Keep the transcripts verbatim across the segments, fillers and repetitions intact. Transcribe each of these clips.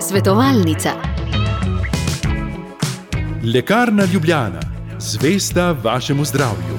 Svetovalnica. Lekarna Ljubljana, zvesta vašemu zdravju.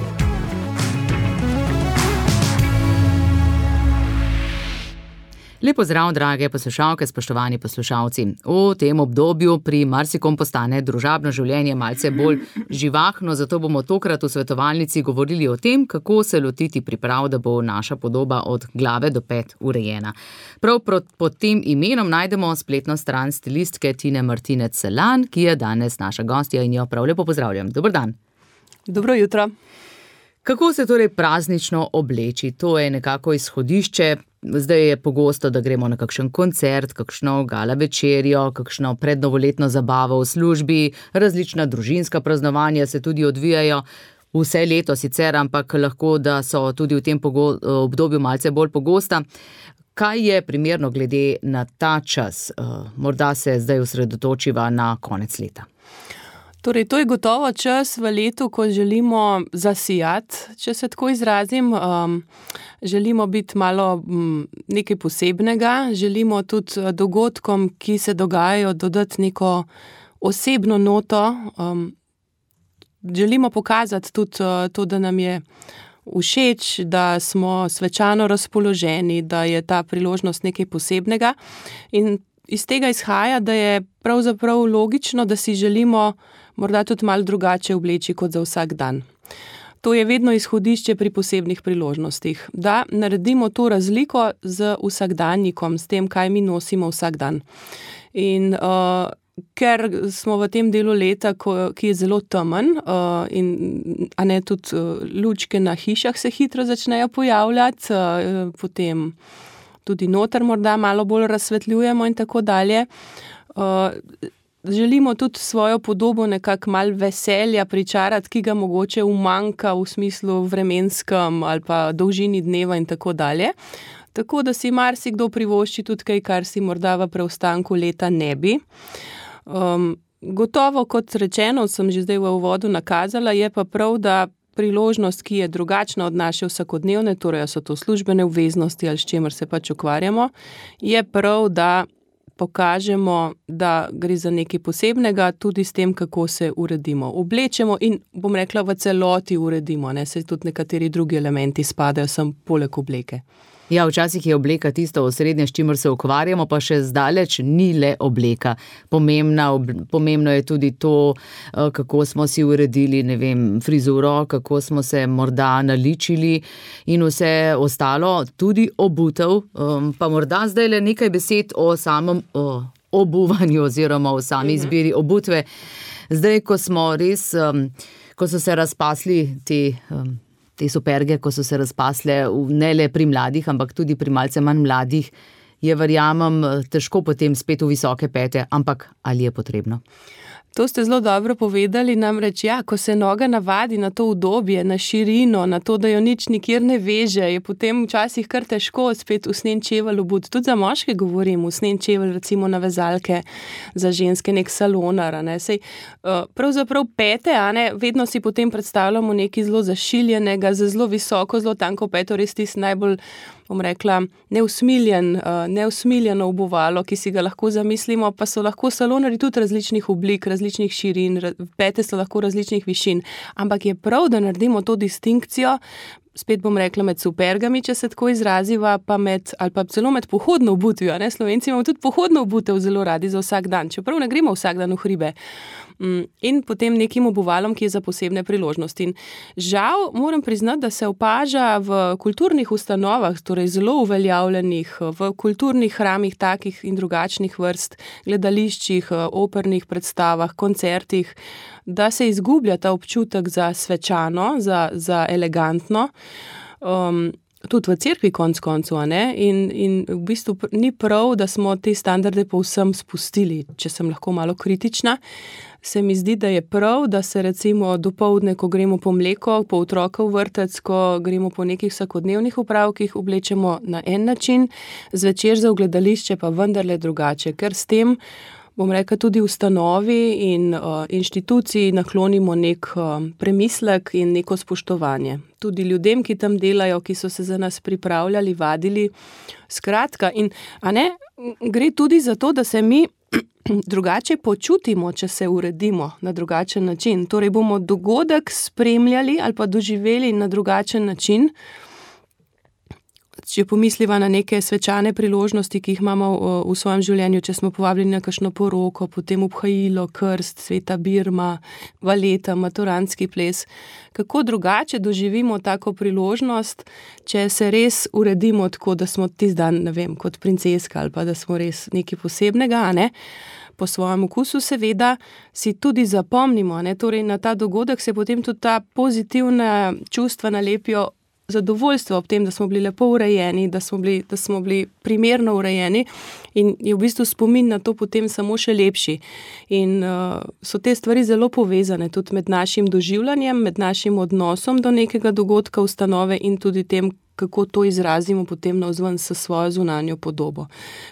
Lepo zdrav, drage poslušalke, spoštovani poslušalci. V tem obdobju pri marsikom postane družabno življenje malce bolj živahno, zato bomo tokrat v svetovalnici govorili o tem, kako se lotiti priprav, da bo naša podoba od glave do pet urejena. Prav pod tem imenom najdemo spletno stran stilistke Tine Martinec Selan, ki je danes naša gostja in jo prav lepo pozdravljam. Dober dan. Dobro jutro. Kako se torej praznično obleči? To je nekako izhodišče. Zdaj je pogosto, da gremo na kakšen koncert, kakšno gala večerjo, kakšno prednovoletno zabavo v službi, različna družinska praznovanja se tudi odvijajo vse leto sicer, ampak lahko, da so tudi v tem obdobju malce bolj pogosta. Kaj je primerno glede na ta čas? Morda se zdaj osredotočiva na konec leta. Torej, to je gotovo čas v letu, ko želimo zasijati, če se tako izrazim. Um, želimo biti malo um, nekaj posebnega, želimo tudi dogodkom, ki se dogajajo, dodati neko osebno noto. Um, želimo pokazati tudi uh, to, da nam je všeč, da smo svečano razpoloženi, da je ta priložnost nekaj posebnega. In iz tega izhaja, da je pravzaprav logično, da si želimo morda tudi malo drugače obleči kot za vsak dan. To je vedno izhodišče pri posebnih priložnostih, da naredimo to razliko z vsakdanjikom, s tem, kaj mi nosimo vsak dan. In uh, ker smo v tem delu leta, ko, ki je zelo temen, uh, in a ne tudi uh, lučke na hišah se hitro začnejo pojavljati, uh, potem tudi noter morda malo bolj razsvetljujemo in tako dalje. Uh, Želimo tudi svojo podobo nekako malo veselja pričarati, ki ga mogoče umanjka v smislu vremenskem ali pa dolžini dneva in tako dalje. Tako da si marsikdo privošči tudi kaj, kar si morda v preostanku leta ne bi. Um, gotovo, kot rečeno, sem že zdaj v uvodu nakazala, je pa prav, da priložnost, ki je drugačna od naše vsakodnevne, torej so to službene obveznosti ali s čemer se pač ukvarjamo, je prav, da pokažemo, da gre za nekaj posebnega, tudi s tem, kako se uredimo. Oblečemo in, bom rekla, v celoti uredimo, ne, saj tudi nekateri drugi elementi spadajo sem poleg obleke. Ja, včasih je obleka tisto osrednje, s čimer se ukvarjamo, pa še zdaleč ni le obleka. Pomembna, pomembno je tudi to, kako smo si uredili, ne vem, frizuro, kako smo se morda naličili in vse ostalo, tudi obutev. Pa morda zdaj le nekaj besed o samem o obuvanju oziroma o sami izbiri obutve. Zdaj, ko smo res, ko so se razpasli te te superge, ko so se razpasle ne le pri mladih, ampak tudi pri malce manj mladih, je, verjamem, težko potem spet v visoke pete, ampak ali je potrebno? To ste zelo dobro povedali, namreč ja, ko se noga navadi na to udobje, na širino, na to, da jo nič nikjer ne veže, je potem včasih kar težko spet usnjen čevelj obuti. Tudi za moške govorim, usnjen čevelj recimo na vezalke, za ženske nek salonar, ne. Sej, pravzaprav pete, a ne, vedno si potem predstavljamo nekaj zelo zašiljenega, za zelo visoko, zelo tanko peto, res tisti najbolj, bom rekla, neusmiljen, neusmiljeno obuvalo, ki si ga lahko zamislimo, pa so lahko salonarji tudi različnih oblik, različnih širin, pete so lahko različnih višin, ampak je prav, da naredimo to distinkcijo, spet bom rekla med supergami, če se tako izraziva, pa med, ali pa celo med pohodno obutvijo, ne, Slovenci imamo tudi pohodno obutev zelo radi za vsak dan, čeprav ne gremo vsak dan v hribe. In potem nekim obuvalom, ki je za posebne priložnosti. In žal moram priznati, da se opaža v kulturnih ustanovah, torej zelo uveljavljenih, v kulturnih hramih takih in drugačnih vrst, gledališčih, opernih predstavah, koncertih, da se izgublja ta občutek za svečano, za, za elegantno, um, tudi v cerkvi konc koncu, a ne? In, in v bistvu ni prav, da smo te standarde povsem spustili, če sem lahko malo kritična. Se mi zdi, da je prav, da se recimo dopoldne, ko gremo po mleko, po otroka v vrtec, ko gremo po nekih vsakodnevnih opravkih, oblečemo na en način, zvečer za v gledališče pa vendarle drugače, ker s tem bom rekla, tudi ustanovi in uh, inštituciji naklonimo nek uh, premislek in neko spoštovanje. Tudi ljudem, ki tam delajo, ki so se za nas pripravljali, vadili. Skratka, in a ne, gre tudi za to, da se mi drugače počutimo, če se uredimo na drugačen način. Torej bomo dogodek spremljali ali pa doživeli na drugačen način. Če pomisliva na neke svečane priložnosti, ki jih imamo v svojem življenju, če smo povabljeni na kakšno poroko, potem obhajilo, krst, sveta birma, valeta, maturantski ples. Kako drugače doživimo tako priložnost, če se res uredimo tako, da smo tisti dan, ne vem, kot princeska ali pa da smo res nekaj posebnega, a ne? Po svojem okusu seveda si tudi zapomnimo, ne? Torej na ta dogodek se potem tudi ta pozitivna čustva nalepijo, zadovoljstvo ob tem, da smo bili lepo urejeni, da smo bili, da smo bili primerno urejeni in je v bistvu spomin na to potem samo še lepši. In uh, so te stvari zelo povezane tudi med našim doživljanjem, med našim odnosom do nekega dogodka, ustanove in tudi tem, kako to izrazimo potem navzven s svojo zunanjo podobo.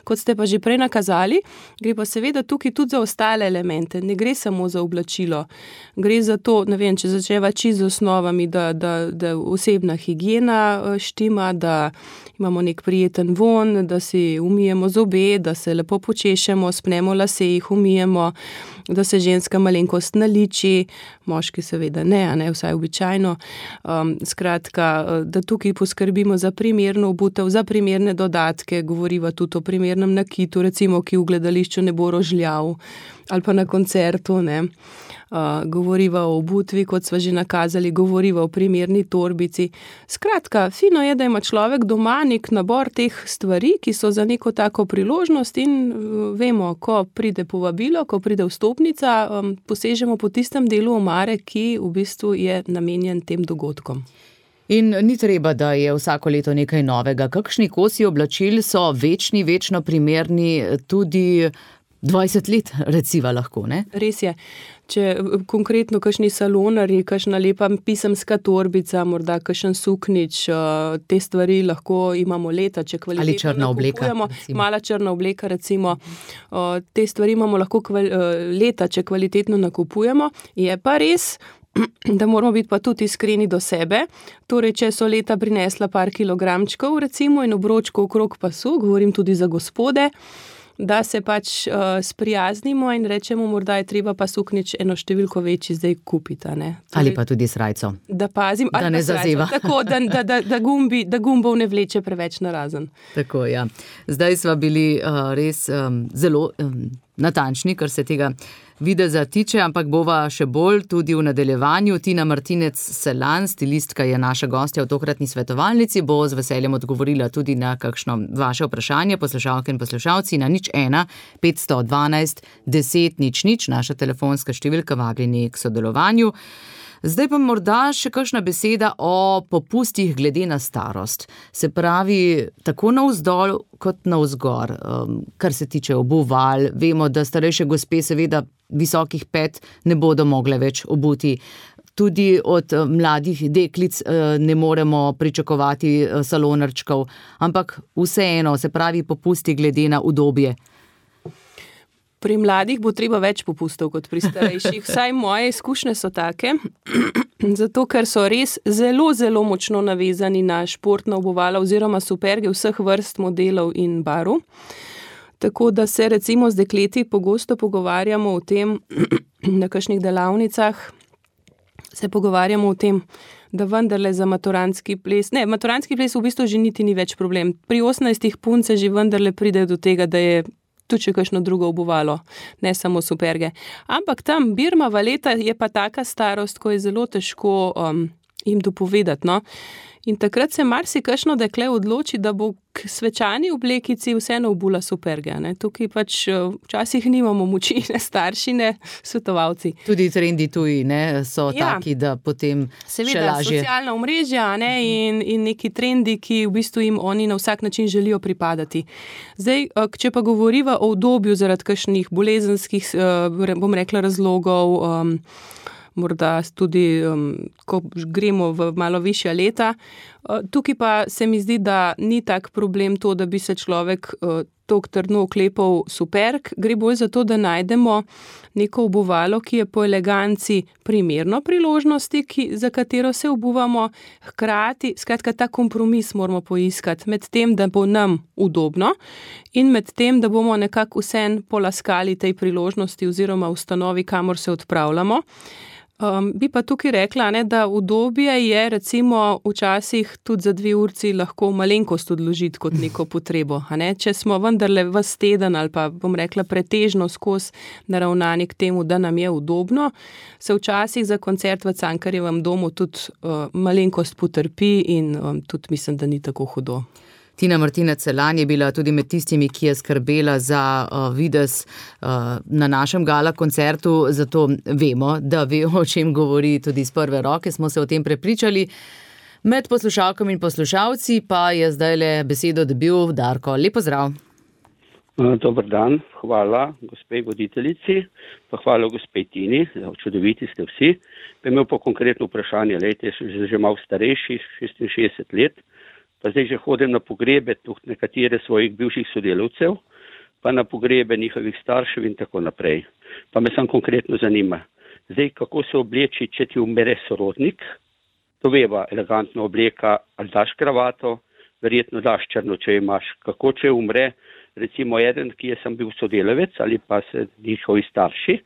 Kot ste pa že prej nakazali, gre pa seveda tukaj tudi za ostale elemente. Ne gre samo za oblačilo. Gre za to, ne vem, če začeva čisto z osnovami, da, da, da osebna higiena štima, da imamo nek prijeten von, da si umijemo zobe, da se lepo počešemo, spnemo lase, jih umijemo, da se ženska malenkost naliči, moški seveda ne, a ne, vsaj običajno. Um, skratka, da tukaj poskrbimo za primerno obutev, za primerne dodatke, govoriva tudi o primernem nakitu, recimo, ki v gledališču ne bo rožljav, ali pa na koncertu, ne. Uh, govoriva o obutvi, kot sva že nakazali, govoriva o primerni torbici. Skratka, fino je, da ima človek doma nek nabor teh stvari, ki so za neko tako priložnost in uh, vemo, ko pride povabilo, ko pride vstopnica, um, posežemo po tistem delu omare, ki v bistvu je namenjen tem dogodkom. In ni treba, da je vsako leto nekaj novega. Kakšni kosi oblačil so večni, večno primerni tudi dvajset let, reciva lahko, ne? Res je. Če konkretno kakšni salonarji, kakšna lepa pisemska torbica, morda kakšen suknič, te stvari lahko imamo leta, če kvalitetno ali črna obleka, mala črna obleka, recimo. Te stvari imamo lahko leta, če kvalitetno nakupujemo. Je pa res, da moramo biti pa tudi iskreni do sebe. Torej, če so leta prinesla par kilogramčkov, recimo, in obročkov okrog pasu, govorim tudi za gospode, da se pač uh, sprijaznimo in rečemo, morda je treba pa suknič eno številko večji zdaj kupiti. Ne? Torej, ali pa tudi srajco. Da pazim, da ne zazeva. Tako, da, da, da, da, gumbi, da gumbov ne vleče preveč narazen. Tako, ja. Zdaj sva bili uh, res um, zelo um, natančni, kar se tega videza tiče, ampak bova še bolj tudi v nadaljevanju. Tina Martinec-Selan, stilistka, je naša gostja v tokratni svetovalnici, bo z veseljem odgovorila tudi na kakšno vaše vprašanje, poslušalke in poslušalci, na nič ena petsto dvanajst deset nič nič, naša telefonska številka, vabljeni k sodelovanju. Zdaj pa morda še kakšna beseda o popustih glede na starost. Se pravi, tako navzdol kot navzgor, kar se tiče obuval. Vemo, da starejše gospe seveda visokih pet ne bodo mogle več obuti. Tudi od mladih deklic ne moremo pričakovati salonarčkov, ampak vseeno, se pravi, popusti glede na udobje. Pri mladih bo treba več popustov kot pri starejših. Vsaj moje izkušnje so take, zato ker so res zelo, zelo močno navezani na športna obuvala oziroma superge vseh vrst modelov in barv. Tako da se recimo z dekleti pogosto pogovarjamo o tem, na kakšnih delavnicah se pogovarjamo o tem, da vendarle za maturantski ples, ne, maturantski ples v bistvu že niti ni več problem. Pri osemnajstih punce že vendarle pride do tega, da je tudi še kakšno drugo obuvalo, ne samo superge. Ampak tam birma, valeta je pa taka starost, ko je zelo težko um, jim dopovedati, no. In takrat se marsikakšno dekle odloči, da bo k svečani oblekici vseeno obula superge, ne. Tukaj pač včasih nimamo moči, ne starši, ne svetovalci. Tudi trendi tuji, ne, so ja, taki, da potem seveda, še lažje. Seveda, socialna omrežja, ne, in, in neki trendi, ki v bistvu jim oni na vsak način želijo pripadati. Zdaj, če pa govoriva o udobju zaradi kakšnih bolezenskih, bom rekla, razlogov, um, morda tudi, um, ko gremo v malo višja leta, Tukaj pa se mi zdi, da ni tak problem to, da bi se človek toliko trdno oklepal superg. Gre bolj za to, da najdemo neko obuvalo, ki je po eleganci primerno priložnosti, ki, za katero se obuvamo, hkrati, skratka, ta kompromis moramo poiskati med tem, da bo nam udobno in med tem, da bomo nekako vsem polaskali tej priložnosti oziroma ustanovi, kamor se odpravljamo. Um, bi pa tukaj rekla, ne, da udobje je recimo včasih tudi za dve urci lahko malenkost odložiti kot neko potrebo. A ne? Če smo vendarle ves teden ali pa bom rekla pretežno skozi naravnani k temu, da nam je udobno, se včasih za koncert v Cankarjevem domu tudi uh, malenkost potrpi in um, tudi mislim, da ni tako hudo. Tina Martinec Selan je bila tudi med tistimi, ki je skrbela za uh, videz uh, na našem gala koncertu, zato vemo, da ve, o čem govori tudi iz prve roke, smo se o tem prepričali. Med poslušalkami in poslušalci pa je zdajle besedo dobil Darko. Lep pozdrav. Dober dan, hvala gospe voditeljici, pa hvala gospe Tini, čudoviti ste vsi. Pa imel pa konkretno vprašanje, lejte, sem že malo starejši, šestinšestdeset let, pa zdaj že hodim na pogrebe tudi nekatere svojih bivših sodelavcev, pa na pogrebe njihovih staršev in tako naprej. Pa me sam konkretno zanima, zdaj kako se obleči, če ti umre sorodnik, to veva, elegantno obleka, ali daš kravato, verjetno daš črno, če imaš, kako če umre, recimo eden, ki je sem bil sodelavec ali pa se njihovi starši,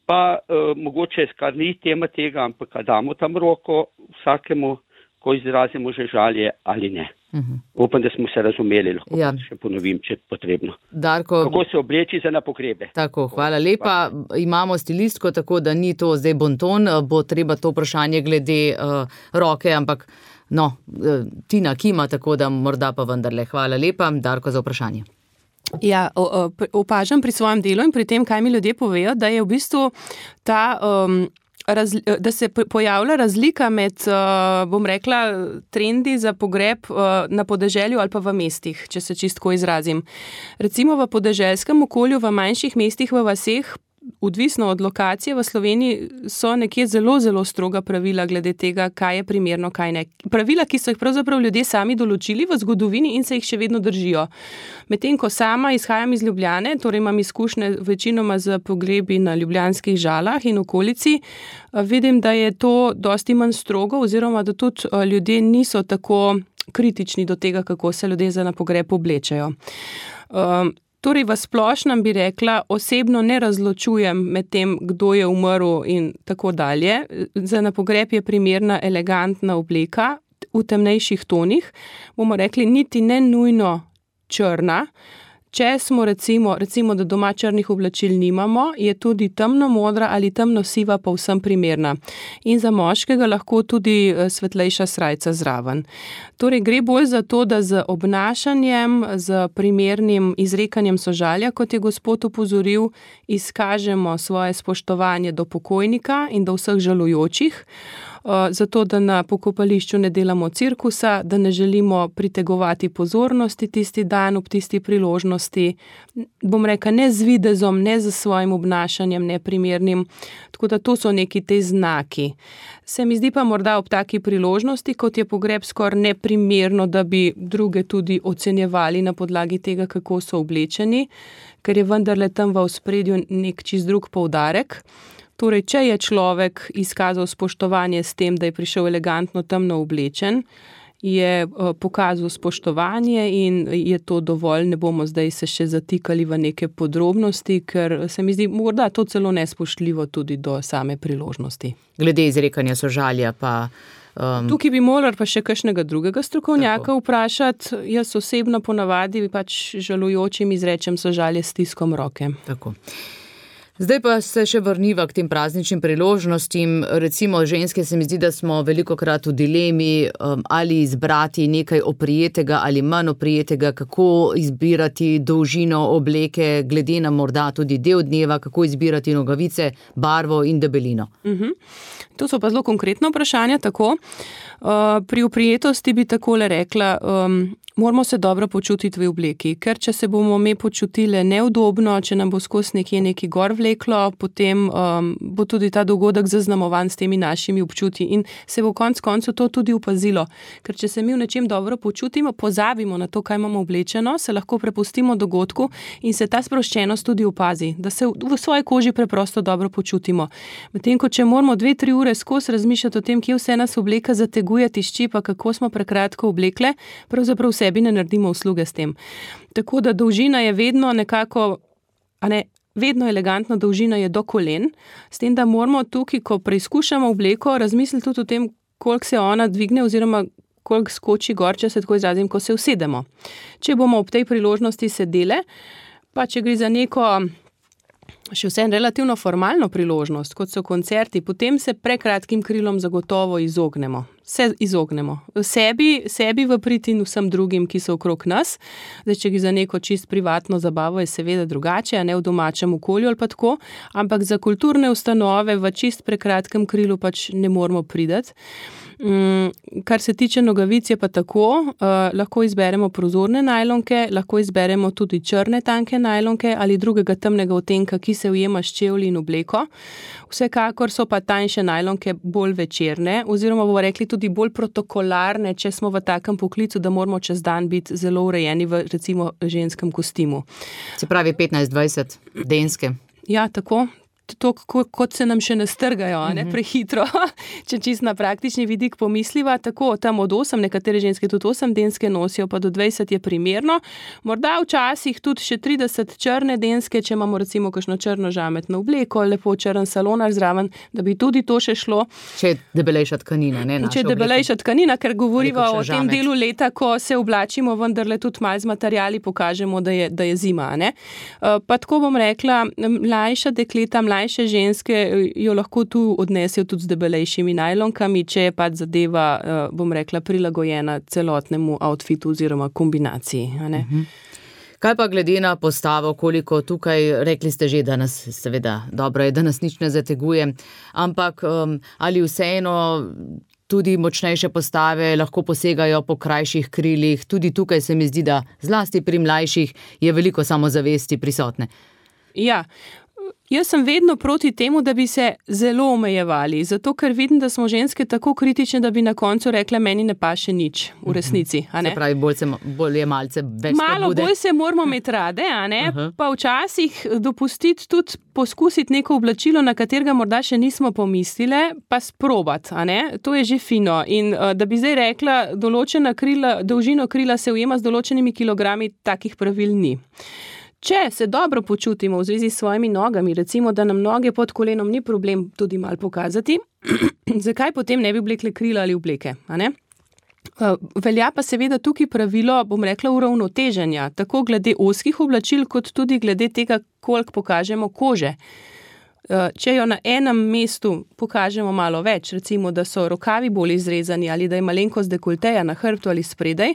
pa uh, mogoče skar ni tema tega, ampak damo tam roko vsakemu, ko izrazimo že žalje ali ne. Uh-huh. Upam, da smo se razumeli, lahko ja. Še ponovim, če je potrebno. Darko, kako se obleči za na pogrebe. Tako, hvala lepa. Imamo stilistko, tako da ni to zdaj bonton, bo treba to vprašanje glede uh, roke, ampak no, uh, Tina kima, tako da morda pa vendarle. Hvala lepa, Darko, za vprašanje. Ja, opažam pri svojem delu in pri tem, kaj mi ljudje povejo, da je v bistvu ta... Um, Razli, da se pojavlja razlika med, bom rekla, trendi za pogreb na podeželju ali pa v mestih, če se čistko izrazim. Recimo v podeželskem okolju, v manjših mestih, v vaseh, odvisno od lokacije v Sloveniji, so nekje zelo, zelo stroga pravila glede tega, kaj je primerno, kaj ne. Pravila, ki so jih pravzaprav ljudje sami določili v zgodovini in se jih še vedno držijo. Medtem, ko sama izhajam iz Ljubljane, torej imam izkušnje večinoma z pogrebi na ljubljanskih Žalah in okolici, vidim, da je to dosti manj strogo oziroma da tudi ljudje niso tako kritični do tega, kako se ljudje za na pogreb oblečejo. Um, Torej, v splošnem bi rekla, osebno ne razločujem med tem, kdo je umrl in tako dalje. Za na pogreb je primerna elegantna obleka v temnejših tonih, bomo rekli niti ne nujno črna. Če smo recimo, recimo, da doma črnih oblačil nimamo, je tudi temno modra ali temno siva povsem primerna. In za moškega lahko tudi svetlejša srajca zraven. Torej, gre bolj za to, da z obnašanjem, z primernim izrekanjem sožalja, kot je gospod opozoril, izkažemo svoje spoštovanje do pokojnika in do vseh žalujočih. Zato, da na pokopališču ne delamo cirkusa, da ne želimo pritegovati pozornosti tisti dan ob tisti priložnosti, bom rekla, ne z videzom, ne z svojim obnašanjem neprimernim, tako da to so neki te znaki. Se mi zdi pa morda ob taki priložnosti, kot je pogreb skoraj neprimerno, da bi druge tudi ocenjevali na podlagi tega, kako so oblečeni, ker je vendarle tam v ospredju nek čist drug poudarek. Torej, če je človek izkazal spoštovanje s tem, da je prišel elegantno temno oblečen, je pokazal spoštovanje in je to dovolj, ne bomo zdaj se še zatikali v neke podrobnosti, ker se mi zdi morda to celo nespoštljivo tudi do same priložnosti. Glede izrekanja sožalja pa... Um, Tukaj bi morali pa še kakšnega drugega strokovnjaka tako vprašati. Jaz osebno ponavadi pač žalujočim izrečem sožalje s stiskom roke. Tako. Zdaj pa se še vrniva k tem prazničnim priložnostim. Recimo ženske se mi zdi, da smo velikokrat v dilemi, um, ali izbrati nekaj oprijetega ali manj oprijetega, kako izbirati dolžino obleke, glede na morda tudi del dneva, kako izbirati nogavice, barvo in debelino. Uh-huh. To so pa zelo konkretno vprašanja, tako. Uh, pri oprijetosti bi takole rekla, um, Moramo se dobro počutiti v obleki, ker če se bomo mi počutili neudobno, če nam bo skozi nekje neki gor vleklo, potem um, bo tudi ta dogodek zaznamovan s temi našimi občutji in se bo konec koncev to tudi opazilo. Ker če se mi v nečem dobro počutimo, pozabimo na to, kaj imamo oblečeno, se lahko prepustimo dogodku in se ta sproščenost tudi opazi, da se v svoji koži preprosto dobro počutimo. Medtem ko če moramo dve, tri ure skozi razmišljati o tem, kje vse nas obleka zateguje, tišči, pa kako smo prekratko oblekle, pravzaprav sebi ne naredimo usluge s tem. Tako da dolžina je vedno nekako, a ne, vedno elegantna dolžina je do kolen, s tem, da moramo tukaj, ko preizkušamo obleko, razmisliti tudi o tem, koliko se ona dvigne oziroma koliko skoči gor, če se tako izrazim, ko se usedemo. Če bomo ob tej priložnosti sedele, pa če gre za neko še vse relativno formalno priložnost, kot so koncerti, potem se prekratkim krilom zagotovo izognemo. Se izognemo. Sebi, sebi v prid in vsem drugim, ki so okrog nas. Zdaj, če gre za neko čist privatno zabavo, je seveda drugače, a ne v domačem okolju ali pa tako, ampak za kulturne ustanove v čist prekratkem krilu pač ne moramo prideti. Um, kar se tiče nogavic je pa tako, uh, lahko izberemo prozorne najlonke, lahko izberemo tudi črne tanke najlonke ali drugega temnega odtenka, ki se ujema s čevlji in obleko. Vsekakor so pa tanjše najlonke bolj večerne oziroma bomo rekli tudi bolj protokolarne, če smo v takem poklicu, da moramo čez dan biti zelo urejeni v recimo ženskem kostimu. Se pravi petnajst dvajset denske. Ja, tako. To, kot se nam še ne strgajo, ne, prehitro, če čisto na praktični vidik pomisliva, tako tam od osem, nekatere ženske tudi osem denske nosijo, pa do dvajset je primerno. Morda včasih tudi še trideset črne denske, če imamo recimo kakšno črno žametno obleko, lepo črn salonar zraven, da bi tudi to še šlo. Če je debelejša tkanina, ne naša Če je debelejša tkanina, ker govoriva o tem žamet. Delu leta, ko se oblačimo, vendarle tudi malo z materiali pokažemo, da je, da je zima, ne. Pa tako bom rekla, mlajša dekleta, mlajša Mlajše ženske jo lahko tu odnesejo tudi z debelejšimi najlonkami, če je pač zadeva, bom rekla, prilagojena celotnemu outfitu oziroma kombinaciji. A ne? Kaj pa glede na postavo, koliko tukaj, rekli ste že, da nas, seveda, dobro je, da nas nič ne zateguje, ampak um, ali vseeno tudi močnejše postave lahko posegajo po krajših krilih, tudi tukaj se mi zdi, da zlasti pri mlajših je veliko samozavesti prisotne. Ja, jaz sem vedno proti temu, da bi se zelo omejevali, zato ker vidim, da smo ženske tako kritične, da bi na koncu rekle, meni ne paše nič v resnici. A ne? Se pravi, bolj, se, bolj je malce več Malo spodbude. Bolj se moramo imeti rade, a ne? Uh-huh. Pa včasih dopustiti tudi poskusiti neko oblačilo, na katerega morda še nismo pomislile, pa sprobati, a ne? To je že fino. In da bi zdaj rekla, določena krila, dolžino krila se ujema z določenimi kilogrami, takih pravil ni. Če se dobro počutimo v zvezi s svojimi nogami, recimo, da nam noge pod kolenom ni problem tudi malo pokazati, zakaj potem ne bi oblekle krila ali obleke, a ne? Velja pa seveda tukaj pravilo, bom rekla, uravnoteženja, tako glede ozkih oblačil, kot tudi glede tega, koliko pokažemo kože. Če jo na enem mestu pokažemo malo več, recimo, da so rokavi bolj izrezani ali da je malenkost dekolteja na hrbtu ali spredaj,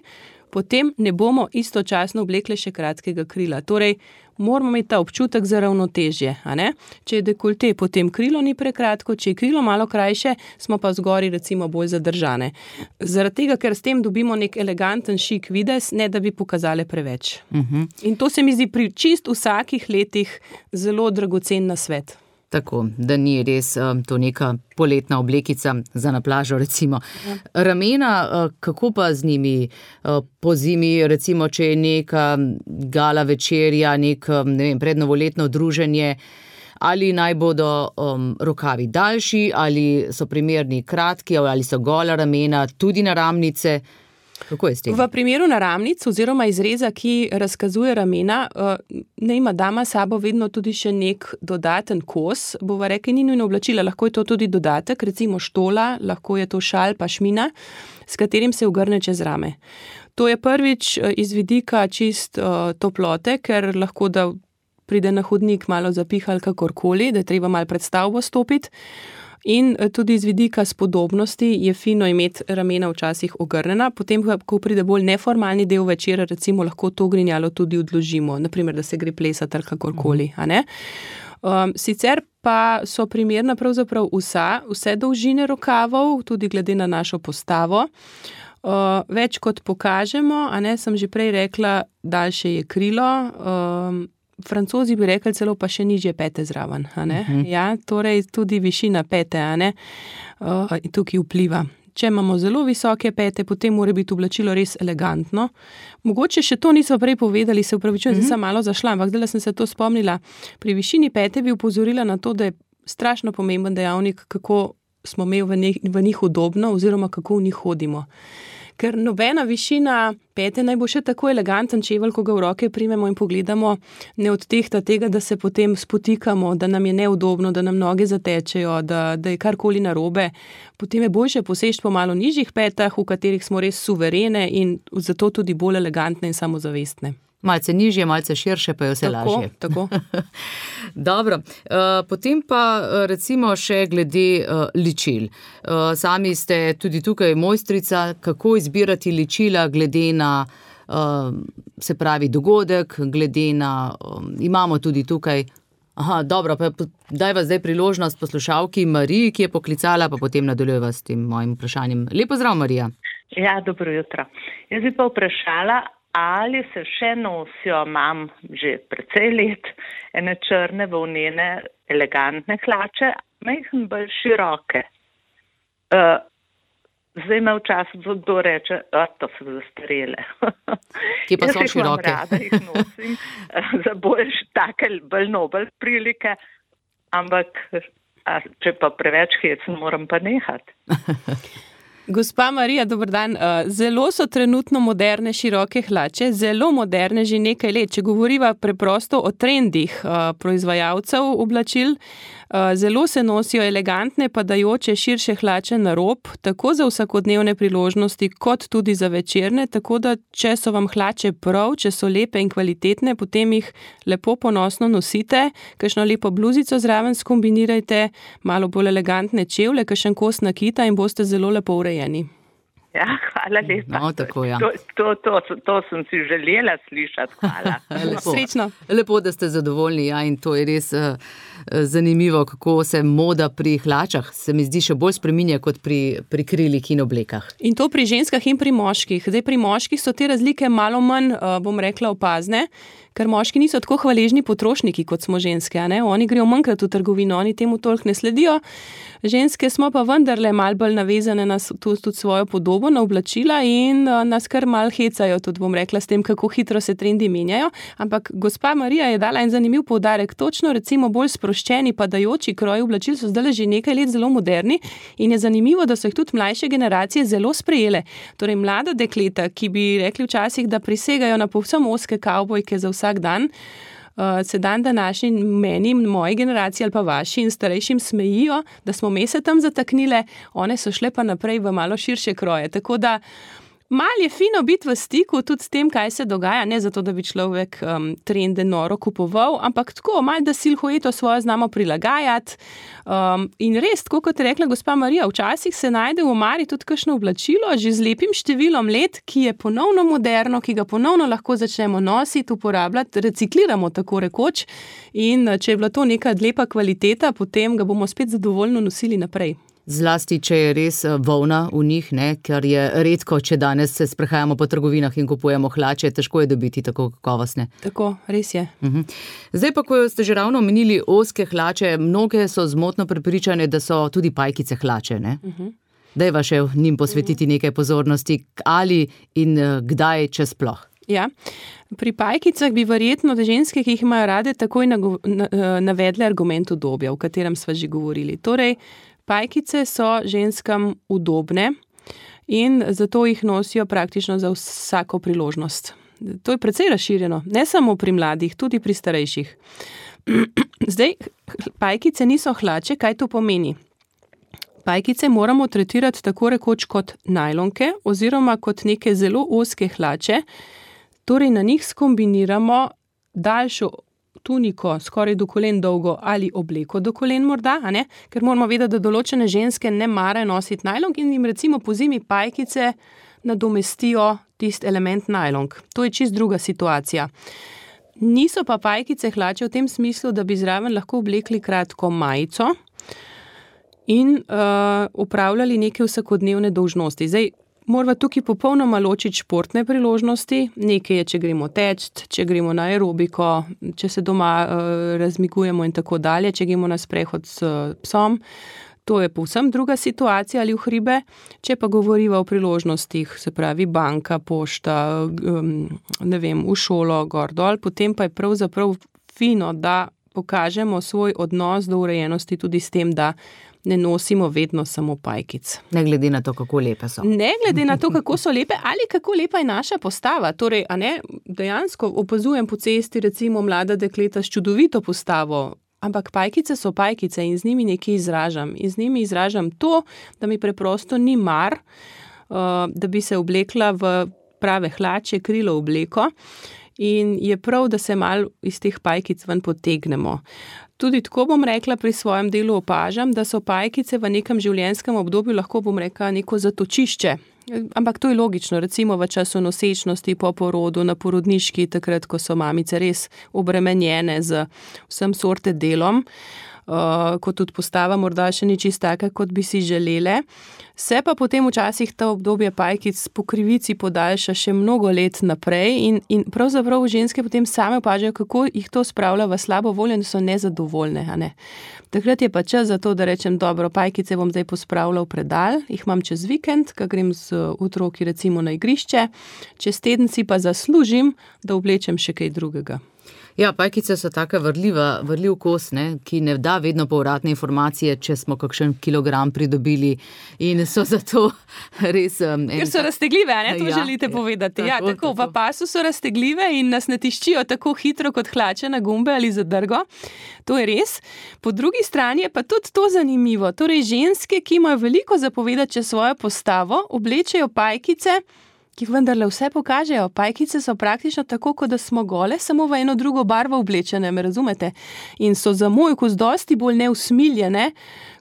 potem ne bomo istočasno oblekle še kratkega krila. Torej, moramo imeti ta občutek za ravnotežje, a ne? Če je dekolte, potem krilo ni prekratko, če je krilo malo krajše, smo pa zgori recimo bolj zadržane. Zaradi tega, ker s tem dobimo nek eleganten šik videz, ne da bi pokazale preveč. Uh-huh. In to se mi zdi pri čist vsakih letih zelo dragocen nasvet. Tako, da ni res um, to neka poletna oblekica za na plažo, recimo. Ja. Ramena, uh, kako pa z njimi uh, po zimi, recimo, če je neka gala večerja, nek, ne vem, prednovoletno druženje, ali naj bodo um, rokavi daljši, ali so primerni kratki, ali so gola ramena, tudi naramnice. Kako je s tem? V primeru naramnic oziroma izreza, ki razkazuje ramena, ne ima dama sabo vedno tudi še nek dodaten kos, bova rekli, ni nujno oblačila, lahko je to tudi dodatek, recimo štola, lahko je to šal pa šmina, s katerim se ogrne čez rame. To je prvič iz vidika čist uh, toplote, ker lahko da pride na hodnik malo zapihal kakorkoli, da je treba malo pred stavbo stopiti. In tudi iz vidika spodobnosti je fino imeti ramena včasih ogrnjena, potem, ko pride bolj neformalni del večera, recimo lahko to grinjalo tudi odložimo, naprimer, da se gre plesati ali kakorkoli, a ne? Um, sicer pa so primerna pravzaprav vsa, vse dolžine rokavov, tudi glede na našo postavo. Uh, več kot pokažemo, a ne, sem že prej rekla, daljše je krilo, uh, Francozi bi rekli celo pa še nižje pete zraven, a ne? Uh-huh. Ja, torej tudi višina pete, a ne, uh, tukaj vpliva. Če imamo zelo visoke pete, potem mora biti oblačilo res elegantno. Mogoče še to nismo prej povedali, se upravičujem, mm-hmm. sem malo zašla, ampak zdaj sem se to spomnila. Pri višini pete bi upozorila na to, da je strašno pomemben dejavnik, kako smo imeli v njih, v njih udobno oziroma kako v njih hodimo. Ker nobena višina pete naj bo še tako eleganten čevelj, ko ga v roke primemo in pogledamo, ne odtehta tega, da se potem spotikamo, da nam je neudobno, da nam noge zatečejo, da, da je karkoli narobe. Potem je boljše poseči po malo nižjih petah, v katerih smo res suverene in zato tudi bolj elegantne in samozavestne. Malce nižje, malce širše, pa je vse tako, lažje. Tako, Dobro, uh, potem pa recimo še glede uh, ličil. Uh, sami ste tudi tukaj mojstrica, kako izbirati ličila glede na, uh, se pravi, dogodek, glede na, um, imamo tudi tukaj, aha, dobro, pa daj vas zdaj priložnost poslušalki Mariji, ki je poklicala, pa potem nadaljujeva s tem mojim vprašanjem. Lepo zdrav, Marija. Ja, dobro jutro. Jaz bi pa vprašala, ali se še nosijo, imam že precej let, ene črne volnene, elegantne hlače, majhen bolj široke. Uh, zdaj me včasih kdo reče, da to so zastarele. Kje pa so široke? Jaz rada jih nosim uh, za bolj take, bolj nobel prilike, ampak a, če pa preveč hecen, moram pa nehati. Gospa Marija, dober dan. Zelo so trenutno moderne široke hlače, zelo moderne že nekaj let. Če govoriva preprosto o trendih proizvajalcev oblačil, zelo se nosijo elegantne, padajoče širše hlače na rob, tako za vsakodnevne priložnosti, kot tudi za večerne, tako da če so vam hlače prav, če so lepe in kvalitetne, potem jih lepo ponosno nosite, kakšno lepo bluzico zraven skombinirajte, malo bolj elegantne čevlje, kakšen kos nakita in boste zelo lepo urejeni. Ja, hvala lepa. No, tako, ja. to, to, to, to sem si želela slišati, hvala. Lepo. Srečno. Lepo, da ste zadovoljni, ja, in to je res uh, zanimivo, kako se moda pri hlačah, se mi zdi, še bolj spreminja kot pri, pri krilih in oblekah. In to pri ženskah in pri moških. Zdaj, pri moških so te razlike malo manj, uh, bom rekla, opazne, ker moški niso tako hvaležni potrošniki, kot smo ženske, a ne? Oni grejo manjkrat v trgovino, oni temu toliko ne sledijo. Ženske smo pa vendarle malo bolj navezane na tudi svojo podobo, na oblačila in nas kar malo hecajo, tudi bom rekla, s tem, kako hitro se trendi menjajo. Ampak gospa Marija je dala en zanimiv poudarek. Točno recimo bolj sproščeni, padajoči kroji oblačil so zdaj že nekaj let zelo moderni in je zanimivo, da so jih tudi mlajše generacije zelo sprejele. Torej mlada dekleta, ki bi rekli včasih, da prisegajo na povsem ozke kavbojke za vsak dan, Uh, se dan današnji meni, moji generaciji ali pa vaši in starejšim smejijo, da smo me se tam zataknile, one so šle pa naprej v malo širše kroje. Tako da mal je fino biti v stiku tudi s tem, kaj se dogaja, ne zato, da bi človek um, trende noro kupoval, ampak tako, mal da silhueto svojo znamo prilagajati. Um, in res, tako kot je rekla gospa Marija, včasih se najde v omari tudi kakšno oblačilo, že z lepim številom let, ki je ponovno moderno, ki ga ponovno lahko začnemo nositi, uporabljati, recikliramo tako rekoč in če je bila to neka lepa kvaliteta, potem ga bomo spet zadovoljno nosili naprej. Zlasti, če je res volna v njih, ne, ker je redko, če danes se sprehajamo po trgovinah in kupujemo hlače, težko je dobiti tako kakovostne. Tako, res je. Uh-huh. Zdaj pa, ko ste že ravno omenili ozke hlače, mnoge so zmotno prepričane, da so tudi pajkice hlače, ne? Uh-huh. Dajva še njim posvetiti nekaj pozornosti, ali in kdaj, če sploh. Ja, pri pajkicah bi verjetno ženske, ki jih imajo rade, takoj navedle argument udobja, o katerem sva že govorili. Torej, pajkice so ženskam udobne in zato jih nosijo praktično za vsako priložnost. To je precej razširjeno, ne samo pri mladih, tudi pri starejših. Zdaj, pajkice niso hlače, kaj to pomeni? Pajkice moramo tretirati tako rekoč kot najlonke oziroma kot neke zelo ozke hlače, torej na njih skombiniramo daljšo tuniko, skoraj do kolen dolgo ali obleko do kolen morda, a ne? Ker moramo vedeti, da določene ženske ne marajo nositi najlonk in jim recimo po zimi pajkice nadomestijo tist element najlonk. To je čist druga situacija. Niso pa pajkice hlače v tem smislu, da bi zraven lahko oblekli kratko majico in uh, upravljali neke vsakodnevne dolžnosti. Zdaj, moramo tukaj popolnoma ločiti športne priložnosti. Nekaj je, če gremo teč, če gremo na aerobiko, če se doma uh, razmigujemo in tako dalje, če gremo na sprehod s uh, psom. To je povsem druga situacija ali v hribe. Če pa govoriva o priložnostih, se pravi banka, pošta, um, ne vem, v šolo, gor dol, potem pa je pravzaprav fino, da pokažemo svoj odnos do urejenosti tudi s tem, da ne nosimo vedno samo pajkic. Ne glede na to, kako lepe so. Ne glede na to, kako so lepe ali kako lepa je naša postava. Torej, a ne, dejansko opazujem po cesti recimo mlada dekleta s čudovito postavo, ampak pajkice so pajkice in z njimi nekaj izražam. In z njimi izražam to, da mi preprosto ni mar, uh, da bi se oblekla v prave hlače, krilo obleko. In je prav, da se malo iz teh pajkic ven potegnemo. Tudi tako bom rekla, pri svojem delu opažam, da so pajkice v nekem življenjskem obdobju lahko, bom rekla, neko zatočišče. Ampak to je logično, recimo v času nosečnosti, po porodu, na porodniški, takrat, ko so mamice res obremenjene z vsem sorte delom, uh, ko tudi postava morda še ni čisto taka, kot bi si želele. Se pa potem včasih ta obdobje pajkic po krivici podaljša še mnogo let naprej in, in pravzaprav ženske potem same opažajo, kako jih to spravlja v slabo voljo in so nezadovoljne. A ne? Takrat je pa čas za to, da rečem, dobro, pajkice bom zdaj pospravila v predal, jih imam čez vikend, ko grem z otroki recimo na igrišče, čez teden si pa zaslužim, da oblečem še kaj drugega. Ja, pajkice so taka vrljiva, vrljiv kos, ne, ki ne da vedno povratne informacije, če smo kakšen kilogram pridobili in so zato res... Um, Ker so raztegljive, a ne, to ja, želite povedati. tako, Ja, tako, tako. v pasu so raztegljive in nas ne tiščijo tako hitro kot hlače na gumbe ali zadrgo. To je res. Po drugi strani je pa tudi to zanimivo. Torej, ženske, ki imajo veliko zapovedati čez svojo postavo, oblečejo pajkice, ki vendarle vse pokažejo. Pajkice so praktično tako, kot da smo gole, samo v eno drugo barvo oblečene, me razumete? In so za moj okus dosti bolj neusmiljene,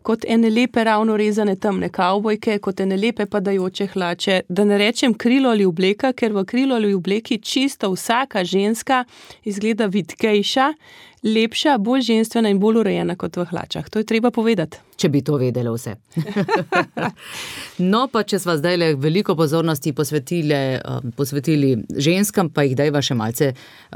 kot ene lepe ravno rezane temne kavbojke, kot ene lepe padajoče hlače. Da ne rečem krilo ali obleka, ker v krilo ali obleki čisto vsaka ženska izgleda vitkejša, lepša, bolj ženstvena in bolj urejena kot v hlačah. To je treba povedati. Če bi to vedele vse. No, pa če sva zdaj le veliko pozornosti posvetili, posvetili ženskam, pa jih dajva še malce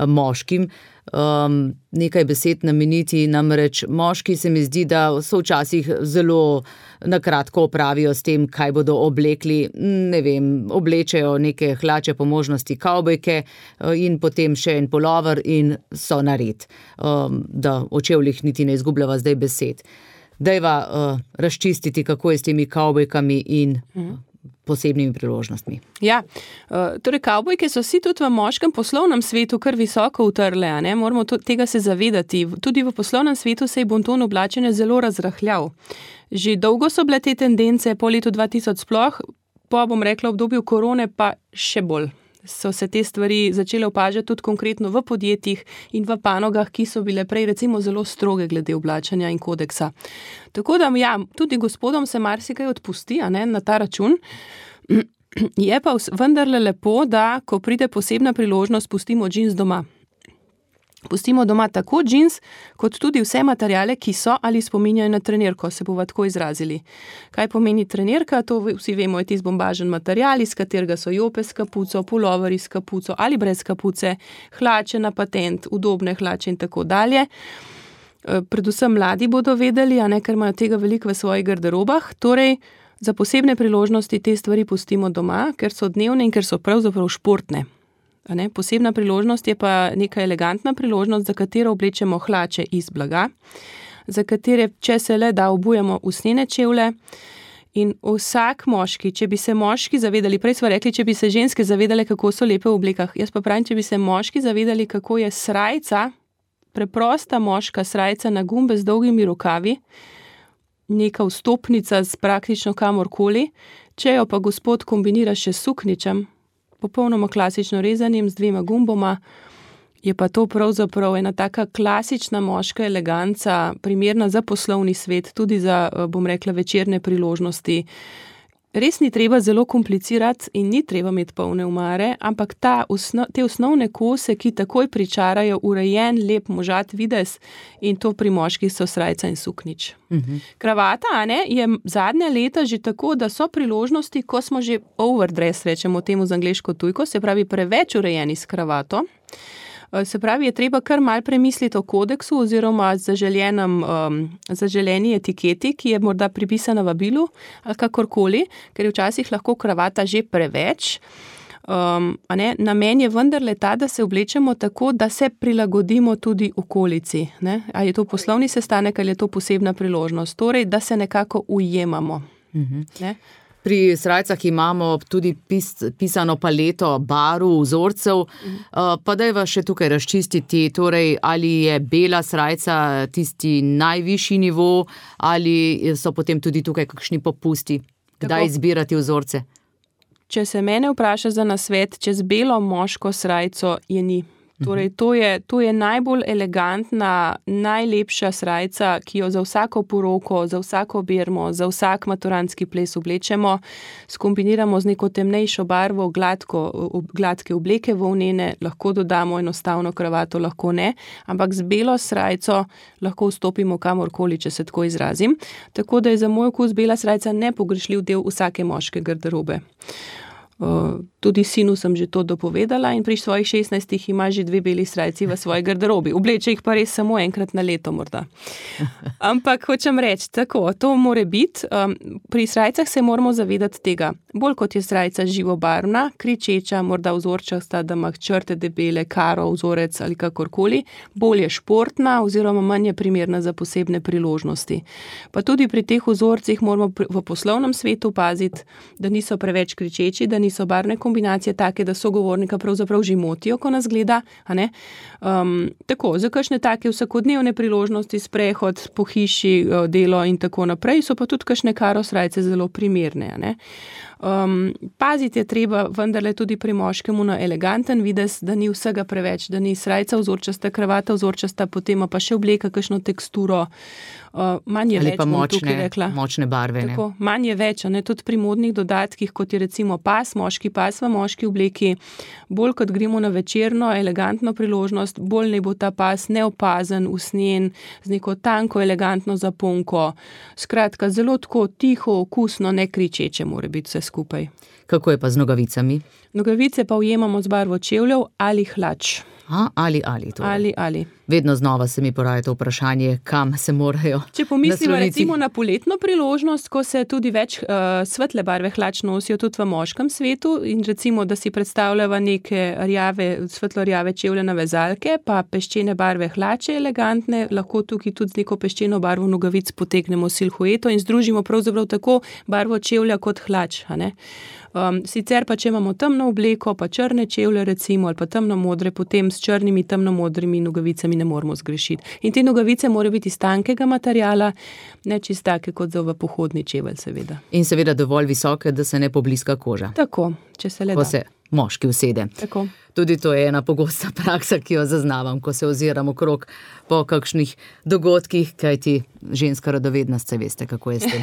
moškim. Um, nekaj besed nameniti, namreč moški se mi zdi, da so včasih zelo nakratko opravijo s tem, kaj bodo oblekli, ne vem, oblečejo neke hlače, po možnosti kavbojke in potem še en pulover in so nared, um, da o čevljih niti ne izgubljava zdaj besed. Dajva uh, razčistiti, kako je s temi kavbojkami in uh, posebnimi priložnostmi. Ja, torej kavbojke so si tudi v moškem poslovnem svetu kar visoko utrle, a ne? Moramo to, tega se zavedati. Tudi v poslovnem svetu se je bonton oblačenja zelo razrahljal. Že dolgo so bile te tendence, po letu dva tisoč sploh, po, bom rekla, obdobju korone pa še bolj. So se te stvari začele opažati tudi konkretno v podjetjih in v panogah, ki so bile prej recimo zelo stroge glede oblačenja in kodeksa. Tako da, ja, tudi gospodom se marsikaj odpusti, a ne, na ta račun. Je pa vendarle lepo, da ko pride posebna priložnost, pustimo džins doma. Pustimo doma tako džins, kot tudi vse materiale, ki so ali spominjajo na trenirko, se bova tako izrazili. Kaj pomeni trenirka? To vsi vemo, je tisti bombažen material, iz katerega so jope s kapuco, puloveri s kapuco ali brez kapuce, hlače na patent, udobne hlače in tako dalje. Predvsem mladi bodo vedeli, a ne, ker imajo tega veliko v svojih garderobah. Torej, za posebne priložnosti te stvari pustimo doma, ker so dnevne in ker so pravzaprav športne. A ne? Posebna priložnost je pa neka elegantna priložnost, za katero oblečemo hlače iz blaga, za katere, če se le da, obujemo usnjene čevlje. In vsak moški, če bi se moški zavedali, prej smo rekli, če bi se ženske zavedale, kako so lepe v oblekah, jaz pa pravim, če bi se moški zavedali, kako je srajca, preprosta moška srajca na gumbe z dolgimi rokavi, neka vstopnica z praktično kamorkoli, če jo pa gospod kombinira še s sukničem, popolnoma klasično rezanim z dvema gumboma, je pa to pravzaprav ena taka klasična moška eleganca, primerna za poslovni svet, tudi za, bom rekla, večerne priložnosti. res ni treba zelo komplicirati in ni treba imeti polne omare, ampak ta osno, te osnovne kose, ki takoj pričarajo urejen, lep možat videz, in to pri moških so srajca in suknič. Uh-huh. Kravata, a ne, je zadnja leta že tako, da so priložnosti, ko smo že overdress, rečemo temu z angleško tujko, se pravi preveč urejeni s kravato. Se pravi, je treba kar mal premisliti o kodeksu oziroma zaželenem, um, zaželeni etiketi, ki je morda pripisana vabilu ali kakorkoli, ker je včasih lahko kravata že preveč. Um, a ne? Namen je vendarle ta, da se oblečemo tako, da se prilagodimo tudi okolici. Ne? Ali je to poslovni sestanek ali je to posebna priložnost. Torej, da se nekako ujemamo. Mhm. Ne? Pri srajcah imamo tudi pis, pisano paleto barv, vzorcev, uh, pa dajva še tukaj razčistiti, torej, ali je bela srajca tisti najvišji nivo, ali so potem tudi tukaj kakšni popusti, kdaj izbirati vzorce. Če se mene vpraša za nasvet, čez belo moško srajco je ni. Torej, to je, to je najbolj elegantna, najlepša srajca, ki jo za vsako poroko, za vsako bermo, za vsak maturantski ples oblečemo, skombiniramo z neko temnejšo barvo, gladko, gladke obleke volnene, lahko dodamo enostavno kravato, lahko ne, ampak z belo srajco lahko vstopimo kamorkoli, če se tako izrazim. Tako da je za moj okus bela srajca nepogrešljiv del vsake moške garderobe. Uh, tudi sinu sem že to dopovedala in pri svojih šestnajstih ima že dve beli srajci v svoji garderobi. Obleče jih pa res samo enkrat na leto morda. Ampak hočem reči, tako, to more biti. Um, pri srajcah se moramo zavedati tega. Bolj kot je srajca živobarvna, kričeča, morda vzorčasta, da ima črte debele, karo, vzorec ali kakorkoli, bolj je športna oziroma manj je primerna za posebne priložnosti. Pa tudi pri teh vzorcih moramo v poslovnem svetu paziti, da niso preveč kričeči, da niso barvne kombinacije take, da sogovornika pravzaprav že motijo, ko nas gleda, a ne? Um, tako, za kakšne take vsakodnevne priložnosti, sprehod po hiši, delo in tako naprej, so pa tudi kakšne karo srajce zelo primerne, a ne? Um, paziti je treba vendarle tudi pri moškemu na eleganten videz, da ni vsega preveč, da ni srajca vzorčasta, kravata vzorčasta, potem pa še obleka kakšno teksturo, uh, manj je ali več, pa bom močne, tukaj rekla. močne barve. Tako, manj je več, a ne, tudi pri modnih dodatkih, kot je recimo pas, moški pas v moški obleki, bolj kot gremo na večerno, elegantno priložnost, bolj ne bo ta pas neopazen, usnjen, z neko tanko, elegantno zaponko. Skratka, zelo tako tiho, okusno, ne kričeče mora biti vse skupaj. Kako je pa z nogavicami? Nogavice pa ujemamo z barvo čevljev ali hlač. A, ali, ali, torej. Ali, ali. Vedno znova se mi poraja to vprašanje, kam se morajo Če pomislimo nasloniti. recimo na poletno priložnost, ko se tudi več uh, svetle barve hlač nosijo tudi v moškem svetu in recimo, da si predstavljava neke rjave, svetlo-rjave čevljane vezalke, pa peščene barve hlače elegantne, lahko tukaj tudi z neko peščeno barvo nogavic potegnemo silhueto in združimo pravzaprav tako barvo čevlja kot hlač, a ne? Um, sicer pa, če imamo temno obleko, pa črne čevlje recimo, ali pa temno modre, potem s črnimi, temno modrimi nogavicami ne moramo zgrešiti. In te nogavice morajo biti iz tankega materiala, ne čist take kot za v pohodni čevelj, seveda. In seveda dovolj visoke, da se ne pobliska koža. Tako, če se le da. Ko se moški usede. Tako. Tudi to je ena pogosta praksa, ki jo zaznavam, ko se oziram okrog po kakšnih dogodkih, kajti ženska radovednost, se veste, kako je s tem.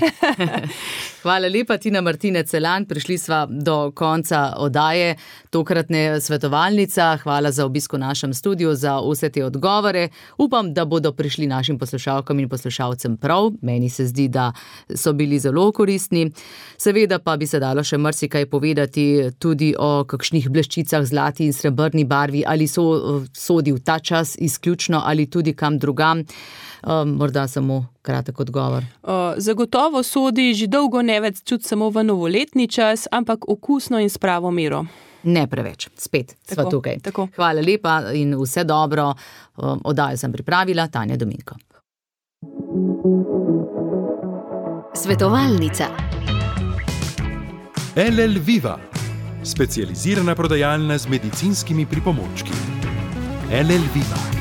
Hvala lepa, Tina Martinec Celan. Prišli sva do konca oddaje, tokratne svetovalnica. Hvala za obisk v našem studiu, za vse te odgovore. Upam, da bodo prišli našim poslušalkam in poslušalcem prav. Meni se zdi, da so bili zelo koristni. Seveda pa bi se dalo še marsikaj povedati tudi o kakšnih bleščicah, zlati in srebrni barvi, ali so sodi v ta čas izključno ali tudi kam drugam. Um, morda samo kratek odgovor. Uh, zagotovo sodi že dolgo ne več čut samo v novoletni čas, ampak okusno in s pravo mero. Ne preveč. Spet Tako, sva tukaj. tako. Hvala lepa in vse dobro. Um, oddajo sem pripravila, Tanja Dominko. Svetovalnica. L L Viva, specializirana prodajalna z medicinskimi pripomočki. L L Viva.